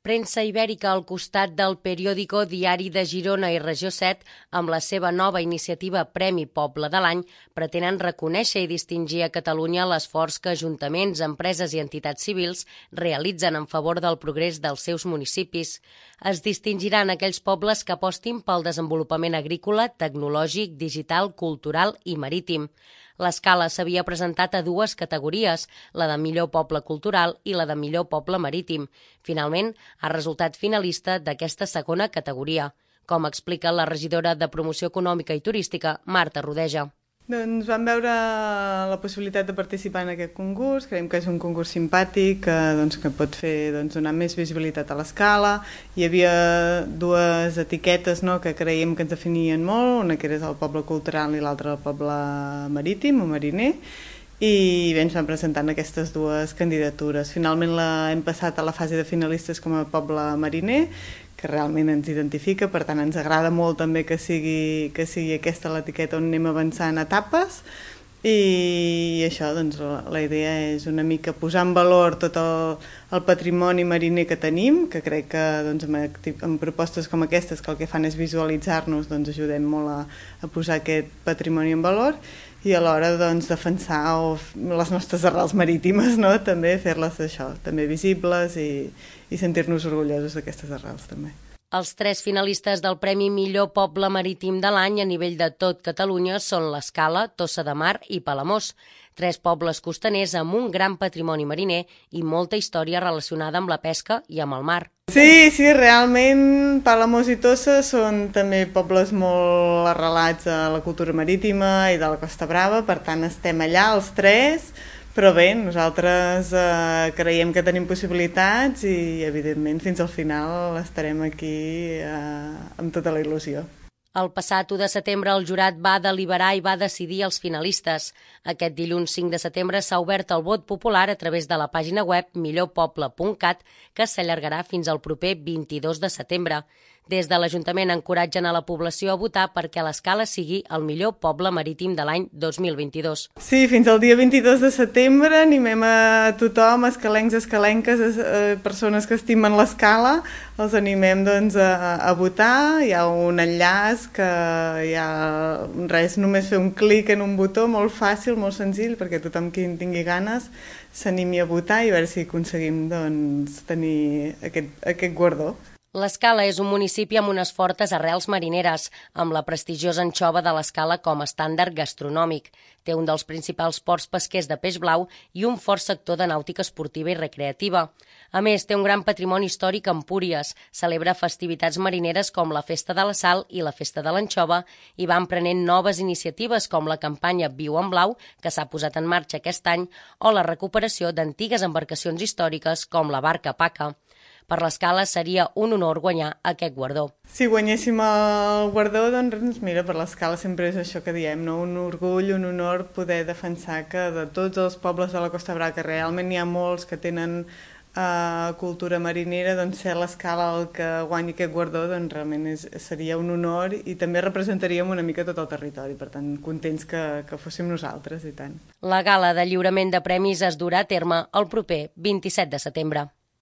Premsa Ibèrica al costat del periòdico Diari de Girona i Regió 7, amb la seva nova iniciativa Premi Poble de l'Any, pretenen reconèixer i distingir a Catalunya l'esforç que ajuntaments, empreses i entitats civils realitzen en favor del progrés dels seus municipis. Es distingiran aquells pobles que apostin pel desenvolupament agrícola, tecnològic, digital, cultural i marítim. L'escala s'havia presentat a dues categories, la de millor poble cultural i la de millor poble marítim. Finalment, ha resultat finalista d'aquesta segona categoria, com explica la regidora de Promoció Econòmica i Turística, Marta Rodeja. Doncs vam veure la possibilitat de participar en aquest concurs. Creiem que és un concurs simpàtic que pot fer donar més visibilitat a l'escala. Hi havia dues etiquetes que creiem que ens definien molt, una que era el poble cultural i l'altra el poble marítim o mariner, i bé, ens van presentant aquestes dues candidatures. Finalment hem passat a la fase de finalistes com a poble mariner, que realment ens identifica, per tant ens agrada molt també que sigui aquesta l'etiqueta on anem avançant etapes, i això, la idea és una mica posar en valor tot el patrimoni mariner que tenim, que crec que amb propostes com aquestes que el que fan és visualitzar-nos, ajudem molt a posar aquest patrimoni en valor, i alhora defensar les nostres arrels marítimes, també fer-les també visibles i sentir-nos orgullosos d'aquestes arrels també. Els 3 finalistes del Premi Millor Poble Marítim de l'any a nivell de tot Catalunya són l'Escala, Tossa de Mar i Palamós, 3 pobles costaners amb un gran patrimoni mariner i molta història relacionada amb la pesca i amb el mar. Sí, realment Palamós i Tossa són també pobles molt arrelats a la cultura marítima i de la Costa Brava, per tant estem allà els 3, però bé, nosaltres creiem que tenim possibilitats i evidentment fins al final estarem aquí amb tota la il·lusió. El passat 1 de setembre el jurat va deliberar i va decidir els finalistes. Aquest dilluns 5 de setembre s'ha obert el vot popular a través de la pàgina web millorpoble.cat, que s'allargarà fins al proper 22 de setembre. Des de l'Ajuntament encoratgen a la població a votar perquè l'Escala sigui el millor poble marítim de l'any 2022. Sí, fins al dia 22 de setembre animem a tothom, escalencs, escalenques, persones que estimen l'Escala, els animem a votar. Hi ha un enllaç que hi ha només fer un clic en un botó, molt fàcil, molt senzill, perquè tothom qui en tingui ganes s'animi a votar i a veure si aconseguim tenir aquest guardó. L'Escala és un municipi amb unes fortes arrels marineres, amb la prestigiosa anxova de l'Escala com a estàndard gastronòmic. Té un dels principals ports pesquers de peix blau i un fort sector de nàutica esportiva i recreativa. A més, té un gran patrimoni històric a Empúries, celebra festivitats marineres com la Festa de la Sal i la Festa de l'Anxova i va emprenent noves iniciatives com la campanya Viu en Blau, que s'ha posat en marxa aquest any, o la recuperació d'antigues embarcacions històriques com la barca Paca. Per l'Escala seria un honor guanyar aquest guardó. Si guanyéssim el guardó, mira, per l'Escala sempre és això que diem, un orgull, un honor poder defensar que de tots els pobles de la Costa Brava, que realment n'hi ha molts que tenen cultura marinera, ser l'Escala el que guanyi aquest guardó, realment seria un honor i també representaríem una mica tot el territori, per tant, contents que fóssim nosaltres i tant. La gala de lliurament de premis es durà a terme el proper 27 de setembre.